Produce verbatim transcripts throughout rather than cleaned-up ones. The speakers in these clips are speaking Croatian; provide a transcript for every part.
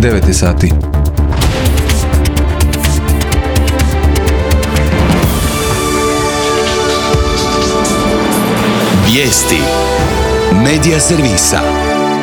devet sati. Vijesti Medija servisa.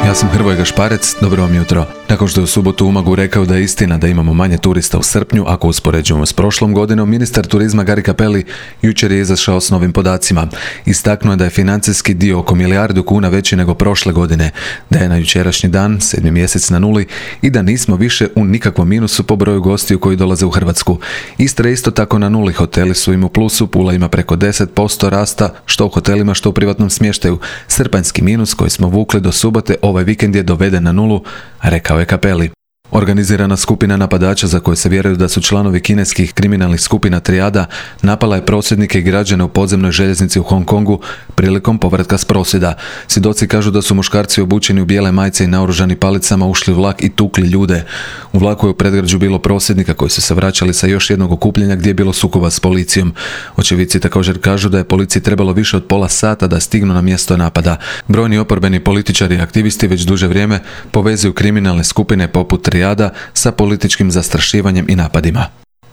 Ja sam Hrvoje Gašparec, dobro vam jutro. Nakon što je u subotu u Umagu rekao da je istina da imamo manje turista u srpnju, ako uspoređujemo s prošlom godinom, ministar turizma Gari Cappelli jučer je izašao s novim podacima. Istaknuo je da je financijski dio oko milijardu kuna veći nego prošle godine, da je na jučerašnji dan, sedmi mjesec na nuli, i da nismo više u nikakvom minusu po broju gostiju koji dolaze u Hrvatsku. Istra je isto tako na nuli, hoteli su im u plusu, Pula ima preko deset posto rasta, što u hotelima, što u privatnom smještaju. Srpanjski minus koji smo vukli do subote ovaj vikend je doveden na nulu, rekao je Cappelli. Organizirana skupina napadača za koje se vjeruju da su članovi kineskih kriminalnih skupina Trijada napala je prosvjednike i građane u podzemnoj željeznici u Hong Kongu prilikom povratka s prosvjeda. Svjedoci kažu da su muškarci obučeni u bijele majice i naoružani palicama ušli u vlak i tukli ljude. U vlaku je u predgrađu bilo prosvjednika koji su se vraćali sa još jednog okupljenja gdje je bilo sukoba s policijom. Očevidci također kažu da je policiji trebalo više od pola sata da stignu na mjesto napada. Brojni oporbeni političari i aktivisti već duže vrijeme povezuju kriminalne skupine poput Trijada sa političkim zastrašivanjem i napadima.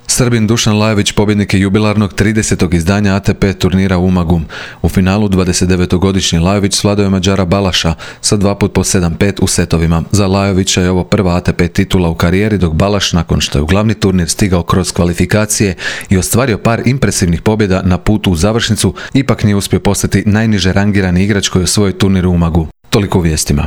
Srbin Dušan Lajović pobjednik je jubilarnog tridesetog izdanja A T P turnira u Umagu. U finalu dvadesetdevetogodišnji Lajović svladao je Mađara Balaša sa dva put po sedam pet u setovima. Za Lajovića je ovo prva A T P titula u karijeri, dok Balaš, nakon što je u glavni turnir stigao kroz kvalifikacije i ostvario par impresivnih pobjeda na putu u završnicu, ipak nije uspio postati najniže rangirani igrač koji je osvojio turnir u Umagu. Toliko u vijestima.